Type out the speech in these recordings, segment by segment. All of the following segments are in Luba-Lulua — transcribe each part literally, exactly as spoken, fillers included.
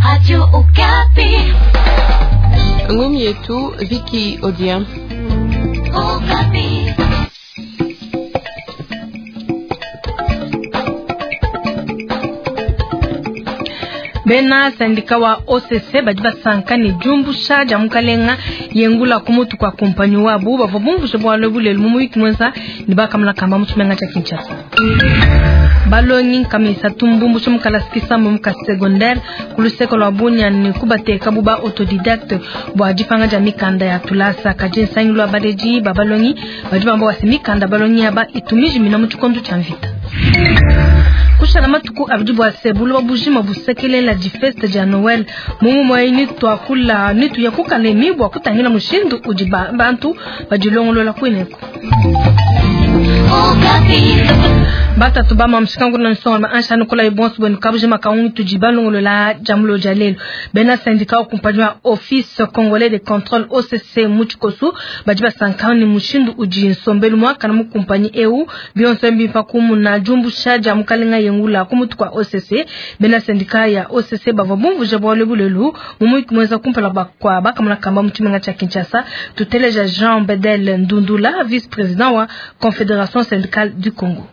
Radio Okapi. Ngumi yetu Viki Odia. Okapi. Bena sandika wa O C C badi basanka ne diumbusha dia mukalenga yengula ku mutu kwa kumpanyi wabu bavua bumvuje bualu bulelu mu muyuki muenza ne bakamuna kamba mu tshimenga tshia Kinshasa. Balongi nkamisa tumbumbusha mukalasi mu muka secondaire ku luseko lwa Bunia ne kubateka bu ba autodidacte bua dipanga dia mikanda ya tulasa kadi nsangilu wa baleji ba balongi badi bamba wasi mikanda balongi aba itumijimina mu tshikondo tshia mvita. Kushala matuku abidi bua se buloba bujima busekelela difesta dia Noel mumu mwayi twakula nituya kukalemi bua kutangila mushindu udi bantu badilongolola kuineko. Batatu ba mamshikangu na nsonga ansha nikola ibonso bwenu kabujima kaungi tujibalongolola jamulo jalelo bena syndicat kumpanyi wa Office Congolais de Contrôle O C C muchikosu badi basankani mushindu udi nsombelu mwakana mu kumpanyi eu bionso mbimpa kumuna jumbusha ja mukalenga yengula kumutu kwa O C C bena syndicat ya O C C bavua bumvuje bwale bulelu mumuyiki mweza kumpala kwa bakamuna kamba mu tshimenga tsha Kinshasa tuteleja Jean Bedel Ndundula vice-président wa Confédération syndicale du Congo.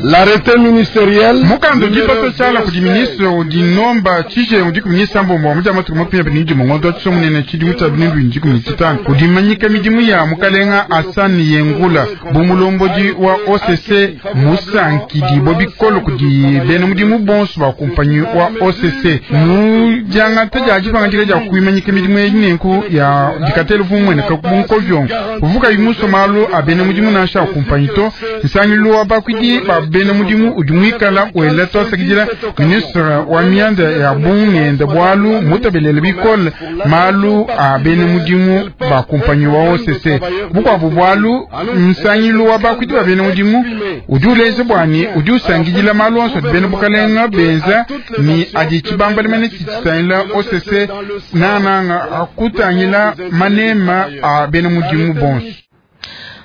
L'arrêté ministériel mukando dipatoshala kudi ministre udinomba tshije udi kuminyisa mbombo wa mujama tuku mapia binidi mongondo tsomunene tshidi mutabindu inji kumititano kudimanyika midimu ya mukalenga Hassan Yengula bumulombodi wa O C C musankidi bobikolo kudi bena mudimu bonso ba kumpanyi wa O C C mu janga taja jipanga ja kuimanyika midimu yenenku ya dikatelu vumwene kakunkovyo kuvuka imuso malu abene mudimu nasha kumpanyi to nsangilu wa bakwidi ba bena mudimu udi muikala wela twasakidila ministre wa mianda ya bungenda bwalu mutabelele bikole malu a bena mudimu ba kumpanyi wa O C C bukwabu bwalu nsangilu wa bakwidi ba bena mudimu udi uleze bwani udi usangidila malu onso adi bena bukalenga benza ni adi tshibambala mene tshitangila O C C nananga akutangila manema a bena mudimu bonso.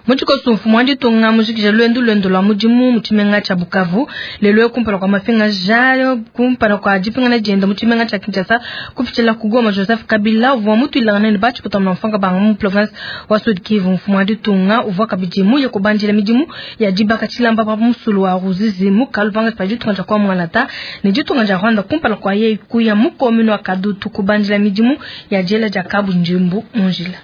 Muchikosu mfumu wa ditunga mujikija lwendu lwendu lwa mudimu mu tshimenga tsha Bukavu lelo kumpala kwa mafinga jayo kumpala kwa dipingana dienda mu tshimenga tsha Kinshasa kupitshila ku Goma Joseph Kabila uvua mutuilangana ne batshipota na mfanga banga mu province wa Sud Kivu. Mfumu wa ditunga uvua kabidi muye kubandila midimu ya dibaka tshilamba pa musulu wa Ruzizi mu kalupanga pa ditunga tsha kwa Mwanata ne ditunga dia Rwanda kumpala kwa ye kuya mu commune wa Kadutu kubandila midimu ya jela dia Kabunjimbu munjila.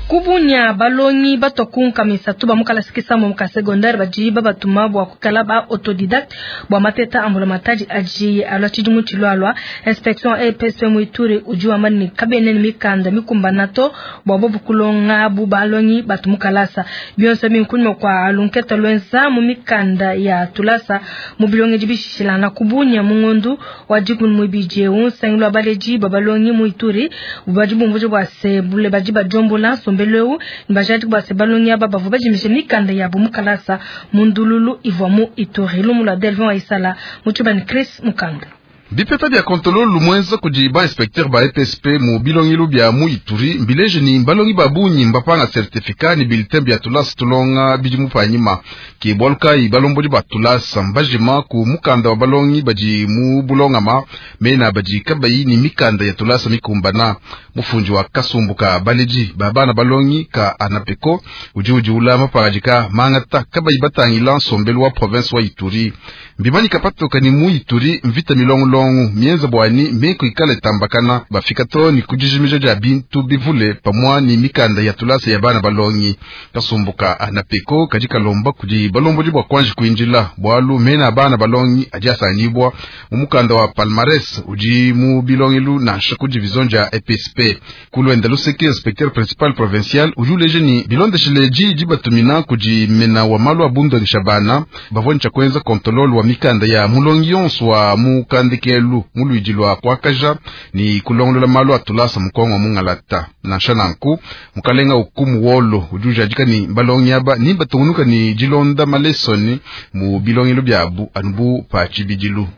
Kubunya balongi batokunka misatu ba mukala sikisa mu muka secondaire baji babatuma bwa kukala ba autodidacte bwa mateta ambula mataji aji alwa chidimu chilwalwa inspection E P S Muituri ujuwa mani kabene ni mikanda mikumbanato bwa bobu kulonga bu balongi batumukalasa bionso minkunywa kwa alunketa lwenza mu mikanda ya tulasa mu bilonge jibishilana kubunya mungondu wa jikun muibije unsangilwa baleji babalongi Muituri ubaji bumvuje bwa sebule baji bajombola mbeleu mbajati kwa sebalongi aba bavu bajimishe mikanda ya bumukalasa mundululu ivwa mu Ituri lumula Delvin Aisala muchubani Chris Mukanda. Bipeta bya kontolo lumwenza kudi ba inspecteur ba E P S P mu bilongilu bya mu Ituri mbileje ni mbalongi babunyi mbapanga certificat ni bulletin bya tulasa tulonga bidimu panyima ke bwaluka ibalombodi ba tulasa mbajima ku mukanda wa balongi badi mu bulongama mena badi kabayi ni mikanda ya tulasa mikumbana mufunji wa kasumbuka baleji babana balongi ka anapeko udi udi ula maparajika mangata kabayi batangila nsombelu wa province wa Ituri mbimani kapatoka ni mu Ituri mvita milongo longu mienza bwani meko ikale tambakana bafika to ni kujijimija ja bintu bivule pamwa ni mikanda ya tulasa ya bana balongi kasumbuka anapeko kajika lomba kudi balombo bwa kwanji kuinjila bwalu mena bana balongi ajasanibwa mumukanda wa palmares uji mu bilongilu na shaku division ja E P S P kulwenda luseke inspecteur principal provincial ujuleje ni bilondeshile ji batumina kudi mena wa malu abundo nishabana bavoni cha kwenza kontrol wa mikanda ya mulongi yonso wa mukandike kelu muluidi lwa kwakaja ni kulongolola malu atulasa mukongo mungalata nansha nanku mukalenga ukumu wolo ujujajika ni balongi aba ni batungunuka ni jilonda malesoni mu bilongelo byabu anubu pa chibidilu.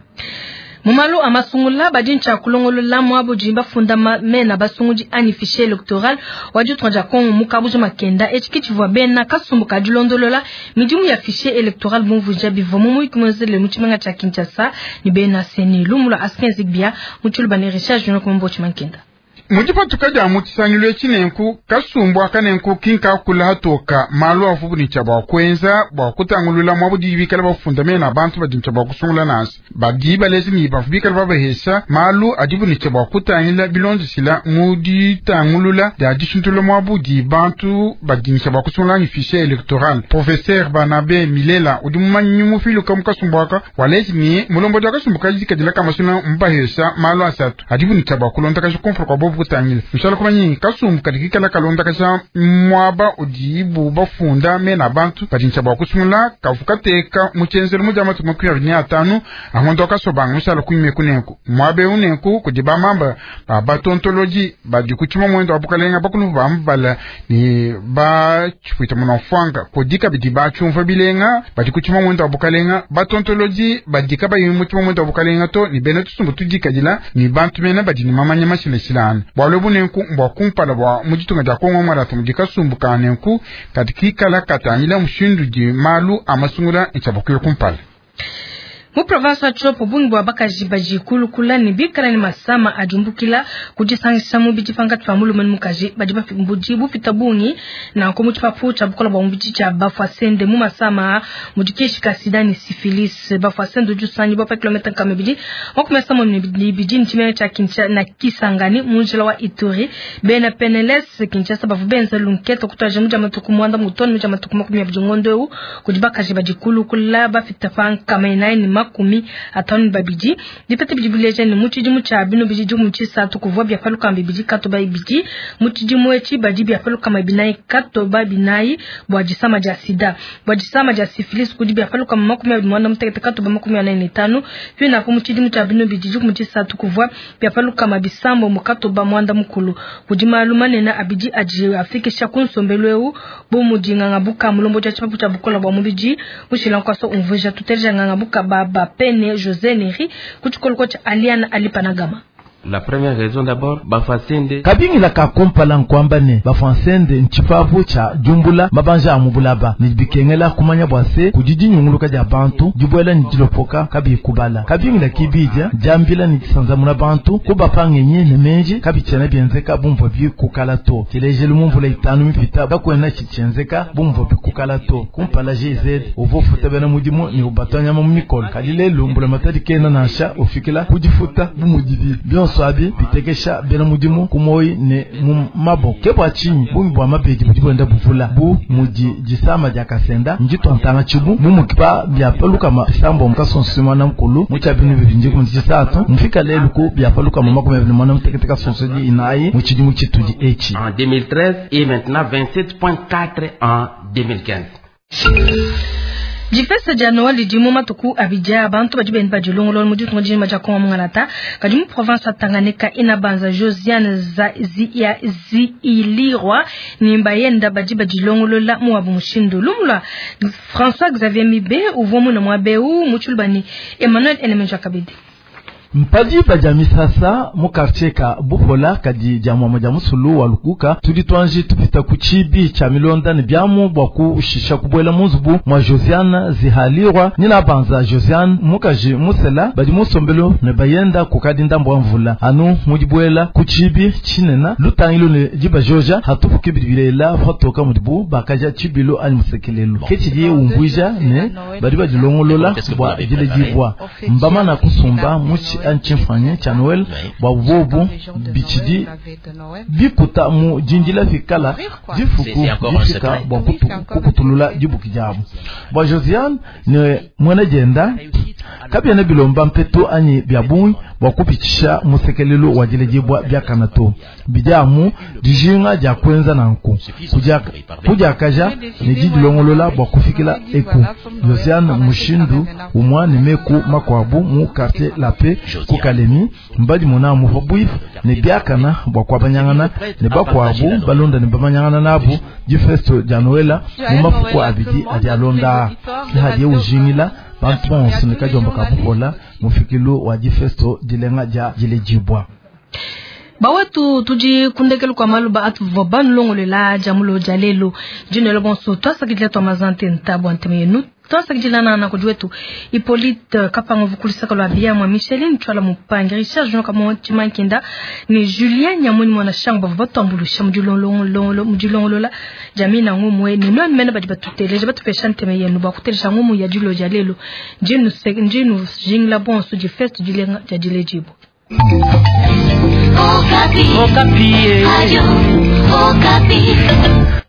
Mumalu amasungula badi ncha kulongolola mwabo jimba funda mena basungudi ani fichier electoral wa ditunga Kongo mukabuja makenda echikichivwa bena kasumbu kadilondolola midimu ya fichier electoral bumvuja bivwa mu ikumwezele muchimenga cha Kinshasa ni bena seni lumula askenzi bia muchulu bane Richard Junior kumbo chimankenda. Mujipatuka ja mutisangilo echinenku kasumbu akanenku kinka kula hatoka malu afubu ni chaba kwenza bwa kutangulula mwabu dibikala bafunda mena bantu badincha bwa kusungula nasi badi balezi ni bafubikala babahesha malu adibu ni chaba kutangila bilonzisila muditangulula ya dishintula mwabu di bantu badincha bwa kusungula ni fichier electoral. Professeur Banabe Milela udi mumanyi mufiluka mukasumbu aka walezi ni mulombo ja kasumbu kajikadila kamasuna mbahesha malu asatu adibu ni chaba kulonda kashikumfra kwa bobu kutangila mishala kumanyi kasumbu kadikikala kalonda kasha mwaba udibu bafunda mena bantu badincha bwa kusungula kavukateka muchenzelo mujama tumakuya ni atanu ahondo kasobanga mishala kuime kunenku mwabe unenku kudiba mamba ba batontoloji badikuchima mwendo abukalenga bakulu bambala ni ba chipwita munofanga kudika bidiba chumva bilenga badikuchima mwendo abukalenga batontoloji badika bayimu chima mwendo abukalenga to ni bena tusumbu tudikadila ni bantu mena badini mamanya mashileshilana bwalo bunenku mbwa kumpala bwa mujitunga ja Kongo mwaratu mujikasumbuka nenku katikikala katangila mushindu di malu amasungula nchabakuyo kumpala. Mu province ya Tshopo bungi bwa bakaji baji kulukula ni bikala ni masama ajumbukila kujisangisha mu bijipanga twa mulume mukaji baji bambuji bufita bungi na ko mu tshipapu tsha bukola bwa mubiji tsha bafwasende mu masama mujikeshi kasida ni syphilis bafwasende jusanyi bwa kilometer kamebidi wakumesa mu biji nchimene cha Kinshasa na Kisangani munjila wa Ituri bena Peneles Kinshasa bavubenza lunketo kutaje muja matuku mwanda mutoni muja matuku makumi ya bijingondo kujibakaji baji kulukula bafita panka mainaini makumi atano babidi dipete bijibuleje ni muchidi mucha bino bijiji muchisa tukuvwa bya paluka bibidi katoba ibidi muchidi mwechi badi bya paluka mabinai katoba binai bwa jisama ja sida bwa jisama ja syphilis kudi bya paluka makumi abiri mwana mutekete katoba makumi ane tano pina ku muchidi mucha bino bijiji muchisa tukuvwa bya paluka mabisambo mukatoba mwanda mukulu kudi maluma nena abidi aji afikisha kunsombelweu bo mudinga ngabuka mulombo ja chipapu cha bukola bwa mubiji mushila kwaso umvuja tuteja ngabuka ba Bapene José Neri kuchikolo cha Aliana Alipanagama. La première raison d'abord bafasende kabingila ka kompala nkwamba ne bafansende nchipapu cha jumbula mabanja amubulaba ni bikengela kumanya bwase kujiji nyunguluka ja bantu jibwela ni jilopoka kabi kubala kabingila kibija jambila ni kisanzamuna bantu kubapangenye ne menji kabichana byenzeka bumvo bikukala to tilejelu mumvula itanu mipita bakwena chichenzeka bumvo bikukala to kumpala G Z uvofuta bena mudimu ni ubatanya mu mikolo kalile lumbula matadi kena nasha ufikila kujifuta bumudibi swabi bitekesha bena mudimu kumoi ne mumabo kebwa chinyi bungi bwa mabedi budi bwenda buvula bu mudi jisama ja kasenda njitwantanga chibu mumukipa bya paluka masambo mukasonsima na mukulu mucha binu bibinji kumujisatu mfika lelu ku bya paluka mama kumya binu mwana muteketeka sonsodi inayi muchidi muchitudi echi en deux mille treize et maintenant vingt-sept virgule quatre en deux mille quinze. Difesa ja Noel dimu matuku abidja abantu badi benda badilongolola mu ditunga dima dia Kongo mungalata kadi mu province ya Tanganyika inabanza Josiane za zi ya ziilirwa ni mbayenda badi badilongolola mu wabu mushindu lumula François Xavier Mibe uvwa na mwabeu muchulubani Emmanuel Elemenja Kabidi. Mpadi bajami sasa mu quartier ka Buhola kadi jamwa moja musulu wa Lukuka tulitwanji tupita kuchibi cha milonda ni byamu bwa kushisha kubwela muzubu mwa Josiane zihalirwa nina banza Josiane mukaji musela badi musombelo ne bayenda kukadi ndambo mvula anu mujibwela kuchibi chinena lutangilo ne jiba joja hatufuke bibilela fatoka mudibu bakaja chibilo ani musekelelo kechidi umbwija ne badi badilongolola bwa jile jibwa mbama na kusumba muchi anchimfanye cha Noel bwa bobu bichidi bikuta mu jinjila fikala jifuku jifika bwa kukutulula jibuki jabu bwa Josiane ne mwana jenda kabya na bilomba mpeto anyi byabunyi bwa kupichisha musekelelo wa jile jibwa byakanato bijamu dijinga ja kwenza nanku kuja kuja kaja ne jidilongolola bwa kufikila eku Josiane mushindu umwane meku makwabu mu quartier la paix kukalemi mbadi mona mu fabuif ne byakana bwa kwabanyangana ne bakwabu balonda ne bamanyangana nabu jifesto ja Noela mu mafuko abidi ajalonda hadiye ujingila Bantu bonso ne kadiomba ka bupola mufikilu wa difesto dilenga dia diledibua. Bawetu tudi kundekelu kwa maluba atuvua banulongolela jamulo ja lelo jinelo bonso twasakidila twa mazante ntabu anteme yenu twasakidila na kudi wetu Hippolyte Kapanga vukulisaka lwa bia mwa Micheline Twala Mupangi Richard Jean Kamo Chimankinda ni Julien Nyamuni mwana shangu bavua batuambulusha mudilongolo mudilongolola jamii na ngumwe ni nwa mena badi batuteleja batupesha nteme yenu bakutelesha ngumu ya dilo ja lelo njinu njinu jingla bonso di feste dilenga ja dilejibo. Okapi. Okapi. Ayo, Okapi.